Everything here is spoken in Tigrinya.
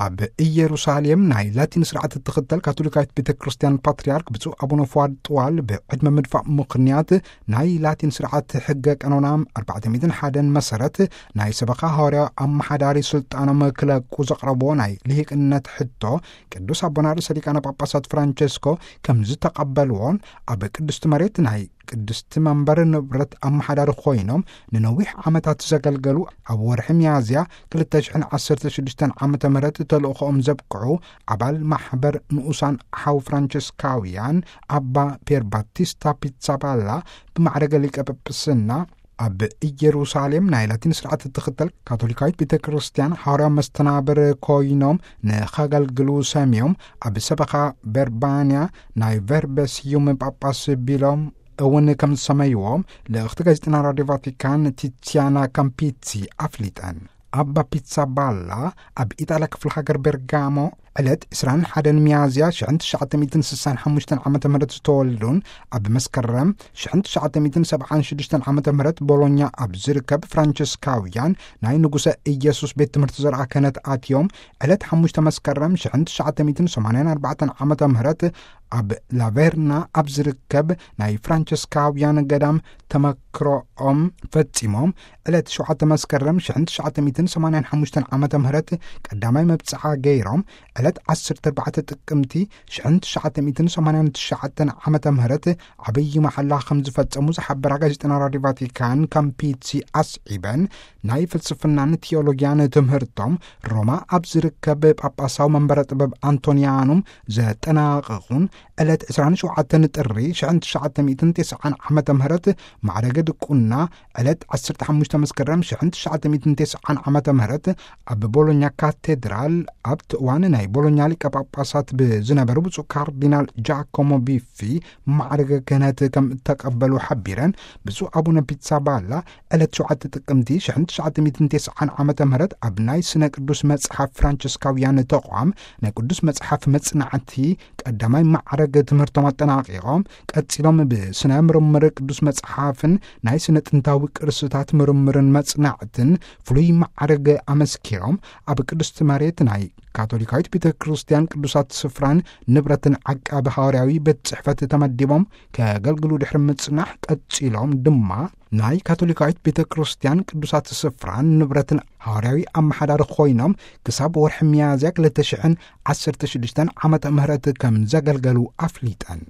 ኣብ ኢየሩሳሌም ናይ ላቲን ስርዓት እትኽተል ካቶሊካዊት ቤተ ክርስቲያን ፓትርያርክ ብፁዕ ኣቡነ ፍዋድ ጥዋል ብዕድመ ምድፋእ ምኽንያት ናይ ላቲን ስርዓት ሕገ ቀኖና ኣርባዕተ ሚእትን ሓደን መሰረት ናይ ሰበኻ ሃዋርያዊ ኣመሓዳሪ ስልጣኖም ክለቁ ዘቕረብዎ ናይ ልሂቅነት ሕቶ ቅዱስ ኣቦና ርእሰ ሊቃነ ጳጳሳት ፍራንቸስኮ ከም ዝተቐበልዎን ኣብ ቅድስቲ መሬት ናይ ቅድስቲ መንበር ንብረት ኣመሓዳሪ ኮይኖም ንነዊሕ ዓመታት ዘገልገሉ ኣብ ወርሒ ሚያዝያ ክልተ ሽሕን ዓሰርተ ሽዱሽተን ዓመተ ምህረት ተልእኾኦም ዘብቅዑ ኣባል ማሕበር ንኡሳን ሓው ፍራንቸስካውያን ኣባ ፔር ባቲስታ ፒትሳባላ ብማዕረገ ሊቀ ጳጳስና ኣብ ኢየሩሳሌም ናይ ላቲን ስርዓት እትኽተል ካቶሊካዊት ቤተ ክርስቲያን ሃዋርያዊ መስተናብር ኮይኖም ንኸገልግሉ ሰምዮም ኣብ ሰበኻ በርባንያ ናይ ቨርበ ስዩም ጳጳስ ቢሎም እውን ከም ዝሰመይዎም ልእኽቲ ጋዜጠና ራድዮ ቫቲካን ቲቲያና ካምፒትሲ ኣፍሊጠን። ኣባ ፒትሳባላ ኣብ ኢጣልያ ክፍለ ሃገር ቤርጋሞ ዕለት ዕስራን ሓደን ሚያዝያ ሽሕን ትሽዓተ ሚእትን ስሳን ሓሙሽተን ዓመተ ምህረት ዝተወልዱን ኣብ መስከረም ሽሕን ትሽዓተ ሚእትን ሰብዓን ሽዱሽተን ዓመተ ምህረት ቦሎኛ ኣብ ዝርከብ ፍራንቸስካውያን ናይ ንጉሰ ኢየሱስ ቤት ትምህርቲ ዘርኣ ክህነት ኣትዮም ዕለት ሓሙሽተ መስከረም ሽሕን ትሽዓተ ሚእትን ሰማንያን ኣርባዕተን ዓመተ ምህረት ኣብ ላቬርና ኣብ ዝርከብ ናይ ፍራንቸስካውያን ገዳም ተመክሮኦም ፈጺሞም ዕለት ሸውዓተ መስከረም ሽሕን ትሽዓተ ሚእትን ሰማንያን ሓሙሽተን ዓመተ ምህረት ቀዳማይ መብጽዓ ገይሮም ዕለት ዓሰርተ ኣርባዕተ ጥቅምቲ ሽሕን ትሽዓተ ሚእትን ሰማንያን ትሽዓተን ዓመተ ምህረት ዓብዪ መሓላ ከም ዝፈጸሙ ዝሓበራ ጋዜጠና ራድዮ ቫቲካን ካምፒትሲ ኣስዒበን ናይ ፍልስፍናን ቲዮሎጊያን ትምህርቶም ሮማ ኣብ ዝርከብ ጳጳሳዊ መንበረ ጥበብ ኣንቶንያኑም ዘጠናቐቑን ዕለት ዕስራን ሸውዓተን ጥሪ ሽሕን ትሽዓተ ሚእትን ተስዓን ዓመተ ምህረት ማዕረገ ድቁና ዕለት ዓሰርተ ሓሙሽተ መስከረም ሽሕን ትሽዓተ ሚእትን ተስዓን ዓመተ ምህረት ኣብ ቦሎኛ ካቴድራል ኣብቲ እዋን ናይ ቦሎኛ ሊቀ ጳጳሳት ብዝነበሩ ብፁዕ ካርዲናል ጃኮሞ ቢፊ ማዕረገ ክህነት ከም እተቐበሉ ሓቢረን ብፁዕ ኣቡነ ፒትሳባላ ዕለት ሸውዓተ ጥቅምቲ ሽሕን ትሽዓተ ሚእትን ተስዓን ዓመተ ምህረት ኣብ ናይ ስነ ቅዱስ መጽሓፍ ፍራንቸስካውያን ተቋም ናይ ቅዱስ መጽሓፍ መጽናዕቲ ቀዳማይ ማዕረግ ትምህርቶም ኣጠናቒቖም ቀጺሎም ብስነ ምርምር ቅዱስ መጽሓፍን ናይ ስነ ጥንታዊ ቅርስታት ምርምርን መጽናዕትን ፍሉይ ማዕረግ ኣመስኪሮም ኣብ ቅድስቲ መሬት ናይ ካቶሊካዊት ቤተ ክርስቲያን ቅዱሳት ስፍራን ንብረትን ዓቃቢ ሃዋርያዊ ቤት ጽሕፈት ተመዲቦም ከገልግሉ ድሕሪ ምጽናሕ ቀጺሎም ድማ ናይ ካቶሊካዊት ቤተ ክርስቲያን ቅዱሳት ስፍራን ንብረትን ሃዋርያዊ ኣመሓዳሪ ኮይኖም ክሳብ ወርሒ ሚያዝያ ክልተ ሽሕን ዓሰርተ ሽዱሽተን ዓመተ ምህረት ከም ዘገልገሉ ኣፍሊጠን።